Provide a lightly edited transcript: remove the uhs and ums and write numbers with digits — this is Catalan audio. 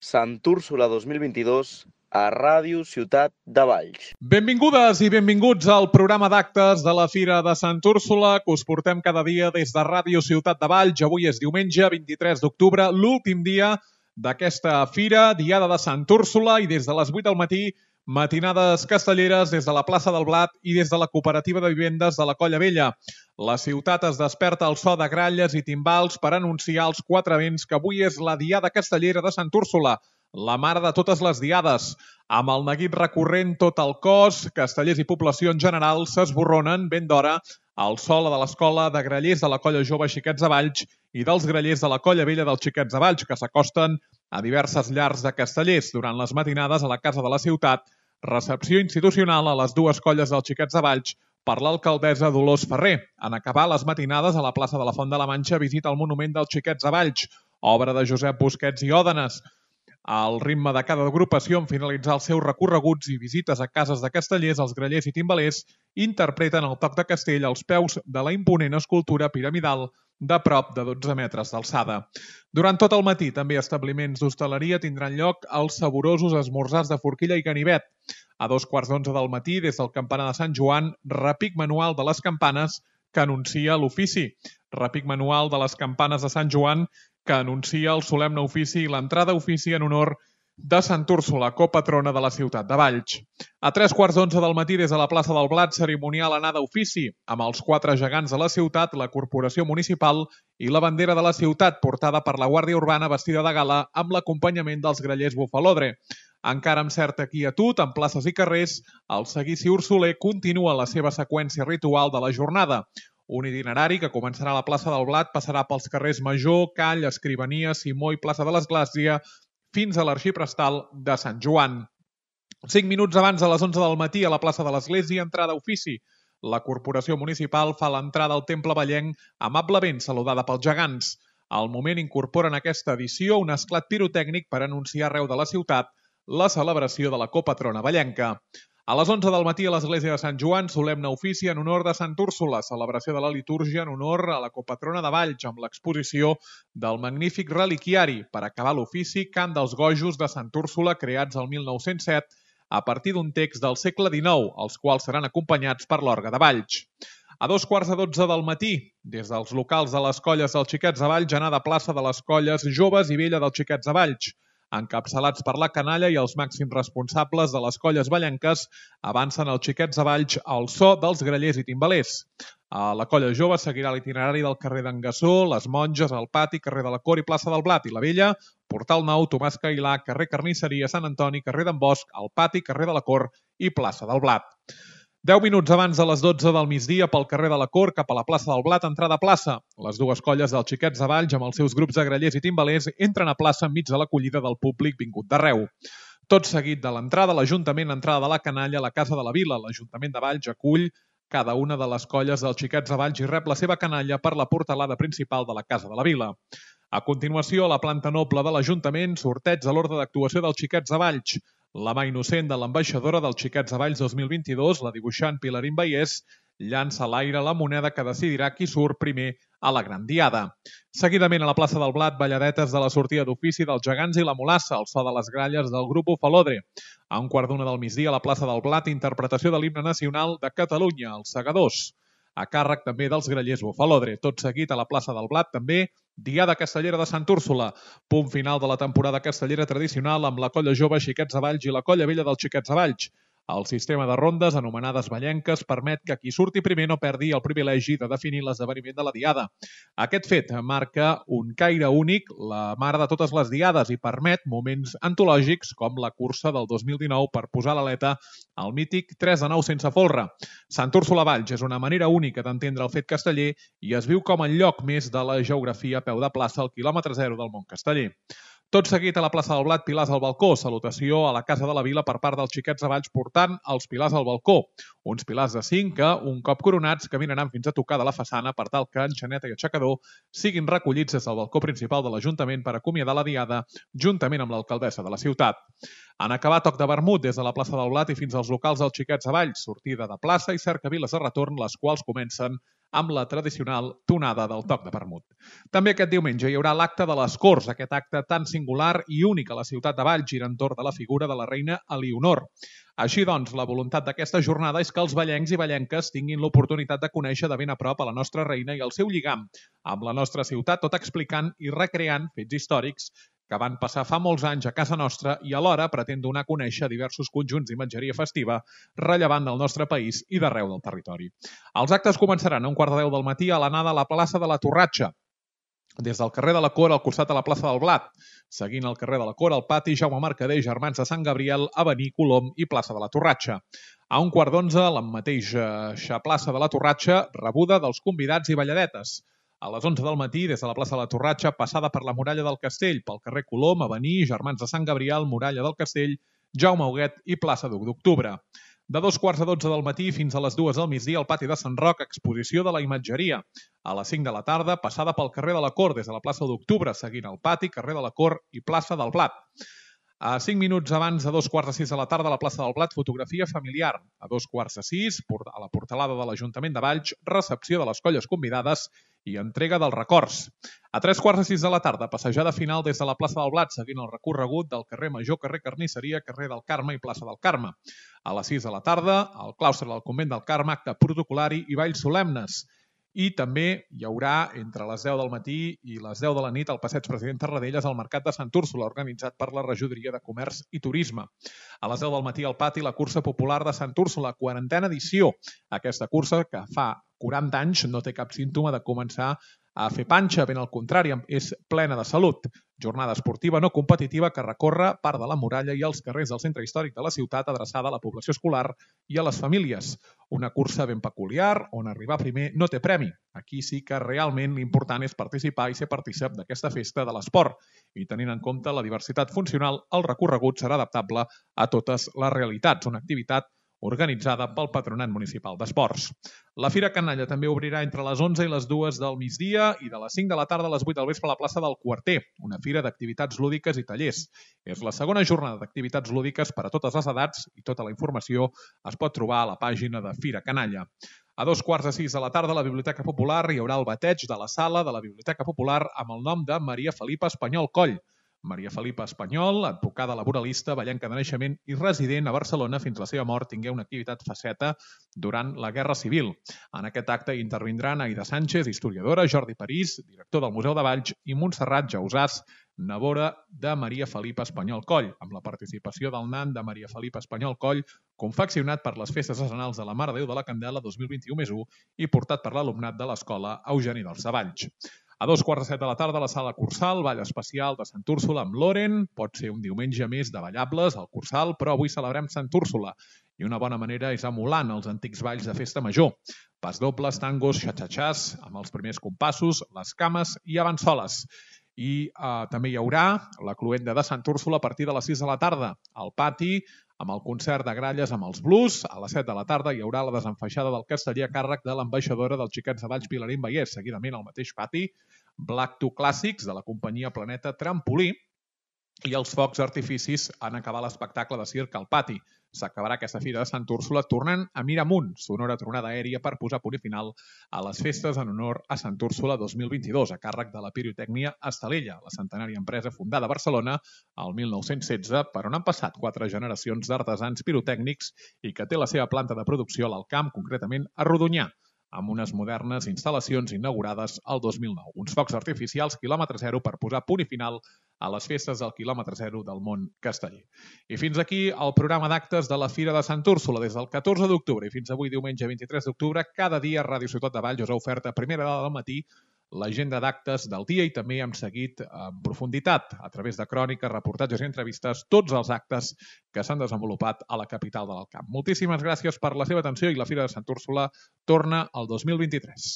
Sant Úrsula 2022 a Ràdio Ciutat de Valls. Benvingudes i benvinguts al programa d'actes de la Fira de Sant Úrsula que us portem cada dia des de Ràdio Ciutat de Valls. Avui és diumenge 23 d'octubre, l'últim dia d'aquesta fira, Diada de Sant Úrsula, i des de les 8 del matí, matinades castelleres des de la plaça del Blat i des de la cooperativa de vivendes de la Colla Vella. La ciutat es desperta al so de gralles i timbals per anunciar als 4 vents que avui és la Diada Castellera de Sant Úrsula, la mare de totes les diades. Amb el neguit recorrent tot el cos, castellers i població en general s'esborronen ben d'hora al sol de l'escola de grallers de la Colla Jove Xiquets de Valls i dels grallers de la Colla Vella dels Xiquets de Valls, que s'acosten a diverses llars de castellers durant les matinades a la Casa de la Ciutat, recepció institucional a les dues colles dels Xiquets de Valls per l'alcaldessa Dolors Ferrer. En acabar les matinades a la plaça de la Font de la Manxa, visita al monument dels Xiquets de Valls, obra de Josep Busquets i Òdenes. Al ritme de cada agrupació, en finalitzar els seus recorreguts i visites a cases de castellers, els grallers i timbalers interpreten el toc de castell als peus de la imponent escultura piramidal de prop de 12 metres d'alçada. Durant tot el matí, també establiments d'hostaleria tindran lloc els saborosos esmorzars de forquilla i ganivet. A 2:15 del matí, des del campanar de Sant Joan, repic manual de les campanes que anuncia l'ofici. Repic manual de les campanes de Sant Joan que anuncia el solemne ofici i l'entrada a ofici en honor de Sant Úrsula, copatrona de la ciutat de Valls. A 3:15 del matí, des de la plaça del Blat, cerimonial anada a ofici, amb els 4 gegants de la ciutat, la corporació municipal i la bandera de la ciutat, portada per la Guàrdia Urbana vestida de gala amb l'acompanyament dels grallers bufalodre. Encara amb certa quietud, en places i carrers, el seguici ursoler continua la seva seqüència ritual de la jornada. Un itinerari que començarà a la plaça del Blat, passarà pels carrers Major, Call, Escrivania, Simó i plaça de l'Església, fins a l'Arxiprestal de Sant Joan. 5 minuts abans de les 11 del matí, a la plaça de l'Església, entrada a ofici. La corporació municipal fa l'entrada al temple vallenc amablement saludada pels gegants. Al moment incorporen aquesta edició un esclat pirotècnic per anunciar arreu de la ciutat la celebració de la copatrona vallenca. A les 11 del matí a l'església de Sant Joan, solemne ofici en honor de Sant Úrsula, celebració de la litúrgia en honor a la copatrona de Valls, amb l'exposició del magnífic reliquiari. Per acabar l'ofici, cant dels gojos de Sant Úrsula, creats el 1907, a partir d'un text del segle XIX, els quals seran acompanyats per l'orgue de Valls. A 2:15 del matí, des dels locals de les colles dels Xiquets de Valls, anada a plaça de les colles joves i vella dels Xiquets de Valls. Encapçalats per la canalla i els màxims responsables de les colles vallenques, avancen els Xiquets de Valls al so dels grallers i timbalers. A la colla jove seguirà l'itinerari del carrer d'en Gassó, les Monges, el Pati, carrer de la Cor i plaça del Blat, i la Vella, Portal Nou, Tomàs Cailà, carrer Carnisseria, Sant Antoni, carrer d'en Bosch, el Pati, carrer de la Cor i plaça del Blat. 10 minuts abans de les 12 del migdia, pel carrer de la Cor, cap a la plaça del Blat, entrada a plaça. Les dues colles dels Xiquets de Valls, amb els seus grups de grallers i timbalers, entren a plaça enmig de l'acollida del públic vingut d'arreu. Tot seguit de l'entrada, l'Ajuntament, entrada de la canalla a la Casa de la Vila. L'Ajuntament de Valls acull cada una de les colles dels Xiquets de Valls i rep la seva canalla per la portalada principal de la Casa de la Vila. A continuació, a la planta noble de l'Ajuntament, sorteig de l'ordre d'actuació dels Xiquets de Valls. La mà innocent de l'ambaixadora dels Xiquets de Valls 2022, la dibuixant Pilarín Baiés, llança a l'aire la moneda que decidirà qui surt primer a la Gran Diada. Seguidament, a la plaça del Blat, balladetes de la sortida d'ofici dels gegants i la mulassa, al so de les gralles del grup Bufalodre. A 1:15 del migdia, a la plaça del Blat, interpretació de l'himne nacional de Catalunya, els Segadors, a càrrec també dels grallers Bufalodre. Tot seguit, a la plaça del Blat, també, Diada Castellera de Sant Úrsula, punt final de la temporada castellera tradicional amb la Colla Jove Xiquets de Valls i la Colla Vella dels Xiquets de Valls. El sistema de rondes, anomenades vallenques, permet que qui surti primer no perdi el privilegi de definir l'esdeveniment de la Diada. Aquest fet marca un caire únic, la mare de totes les diades, i permet moments antològics com la cursa del 2019 per posar l'aleta al mític 3 de 9 sense folre. Sant Úrsula Valls és una manera única d'entendre el fet casteller i es viu com el lloc més de la geografia a peu de plaça al quilòmetre zero del món casteller. Tot seguit a la plaça del Blat, pilars al balcó, salutació a la Casa de la Vila per part dels Xiquets de Valls portant els pilars al balcó. Uns pilars de 5 que, un cop coronats, caminaran fins a tocar de la façana per tal que enxaneta i aixecador siguin recollits des del balcó principal de l'Ajuntament per acomiadar la Diada, juntament amb l'alcaldessa de la ciutat. En acabar toc de vermut des de la plaça del Blat i fins als locals dels Xiquets de Valls, sortida de plaça i cercaviles de retorn, les quals comencen amb la tradicional tonada del toc de vermut. També aquest diumenge hi haurà l'acte de les Corts, aquest acte tan singular i únic a la ciutat de Valls, gira entorn de la figura de la reina Elionor. Així doncs, la voluntat d'aquesta jornada és que els vallencs i vallenques tinguin l'oportunitat de conèixer de ben a prop a la nostra reina i el seu lligam amb la nostra ciutat, tot explicant i recreant fets històrics que van passar fa molts anys a casa nostra i alhora pretén donar a conèixer diversos conjunts d'imatgeria festiva rellevant del nostre país i d'arreu del territori. Els actes començaran a 1:15 del matí a l'anada a la plaça de la Torratxa, des del carrer de la Cor al costat de la plaça del Blat, seguint el carrer de la Cor al pati Jaume Mercader, Germans de Sant Gabriel, Avenir, Colom i plaça de la Torratxa. A 1:15, la mateixa plaça de la Torratxa, rebuda dels convidats i balladetes. A les 11 del matí, des de la plaça de la Torratxa, passada per la muralla del Castell, pel carrer Colom, Avenir, Germans de Sant Gabriel, muralla del Castell, Jaume Huguet i plaça d'U d'Octubre. De 2:15 del matí fins a les 2 del migdia al pati de Sant Roc, exposició de la imatgeria. A les 5 de la tarda, passada pel carrer de la Cor des de la plaça d'Octubre, seguint el pati, carrer de la Cor i plaça del Blat. A 5 minuts abans de 5:15 de la tarda a la plaça del Blat, fotografia familiar. A 5:15, a la portalada de l'Ajuntament de Valls, recepció de les colles convidades i entrega dels records. A 3:15 de la tarda, passejada final des de la plaça del Blat, seguint el recorregut del carrer Major, carrer Carnisseria, carrer del Carme i plaça del Carme. A les 6 de la tarda, al claustre del convent del Carme, acte protocolari i balls solemnes. I també hi haurà, entre les 10 del matí i les 10 de la nit, al passeig President Tarradellas, al Mercat de Sant Úrsula, organitzat per la Regidoria de Comerç i Turisme. A les 10 del matí al pati, la cursa popular de Sant Úrsula, 40a edició. Aquesta cursa, que fa 40 anys, no té cap símptoma de començar a fer panxa, ben al contrari, és plena de salut. Jornada esportiva no competitiva que recorre part de la muralla i els carrers del centre històric de la ciutat, adreçada a la població escolar i a les famílies. Una cursa ben peculiar, on arribar primer no té premi. Aquí sí que realment l'important és participar i ser partícip d'aquesta festa de l'esport. I tenint en compte la diversitat funcional, el recorregut serà adaptable a totes les realitats. Una activitat organitzada pel Patronat Municipal d'Esports. La Fira Canalla també obrirà entre les 11 i les 2 del migdia i de les 5 de la tarda a les 8 del vespre a la plaça del Quarter, una fira d'activitats lúdiques i tallers. És la segona jornada d'activitats lúdiques per a totes les edats i tota la informació es pot trobar a la pàgina de Fira Canalla. A 5:15 de la tarda a la Biblioteca Popular hi haurà el bateig de la sala de la Biblioteca Popular amb el nom de Maria Felipa Espanyol Coll. Maria Felipa Espanyol, advocada laboralista, vallenca de naixement i resident a Barcelona fins a la seva mort, tingué una activitat faceta durant la Guerra Civil. En aquest acte intervindran Aida Sánchez, historiadora, Jordi París, director del Museu de Valls, i Montserrat Jausàs, nebora de Maria Felipa Espanyol Coll, amb la participació del nan de Maria Felipa Espanyol Coll, confeccionat per les Festes Nacionals de la Mare de Déu de la Candela 2021+1 i portat per l'alumnat de l'Escola Eugeni dels Valls. A 2:15 de la tarda a la Sala Cursal, ball especial de Sant Úrsula amb Loren. Pot ser un diumenge més de ballables al Cursal, però avui celebrem Sant Úrsula. I una bona manera és emulant els antics balls de festa major. Pasdobles, tangos, xatxatxàs, amb els primers compassos, les cames i avançoles. I també hi haurà la cloenda de Sant Úrsula a partir de les 6 de la tarda al pati, amb el concert de gralles amb els blues. A les 7 de la tarda hi haurà la desenfaixada del casteller a càrrec de l'ambaixadora dels Xiquets de Valls, Pilarín Vallès. Seguidament al mateix pati, Black to Clàssics de la companyia Planeta Trampolí i els focs artificis en acabar l'espectacle de circ al pati. S'acabarà aquesta fira de Sant Úrsula tornant a Miramunt, sonora tronada aèria per posar punt final a les festes en honor a Sant Úrsula 2022, a càrrec de la Pirotècnia Estalella, la centenària empresa fundada a Barcelona el 1916, per on han passat 4 generacions d'artesans pirotècnics i que té la seva planta de producció a l'Alt Camp, concretament a Rodonyà, amb unes modernes instal·lacions inaugurades el 2009. Uns focs artificials quilòmetre zero per posar punt i final a les festes del quilòmetre zero del món casteller. I fins aquí el programa d'actes de la Fira de Sant Úrsula. Des del 14 d'octubre i fins avui diumenge 23 d'octubre, cada dia Ràdio Ciutat de Valls us ha ofert a primera hora del matí l'agenda d'actes del dia i també hem seguit en profunditat, a través de cròniques, reportatges i entrevistes, tots els actes que s'han desenvolupat a la capital de l'Alt Camp. Moltíssimes gràcies per la seva atenció i la Fira de Sant Úrsula torna el 2023.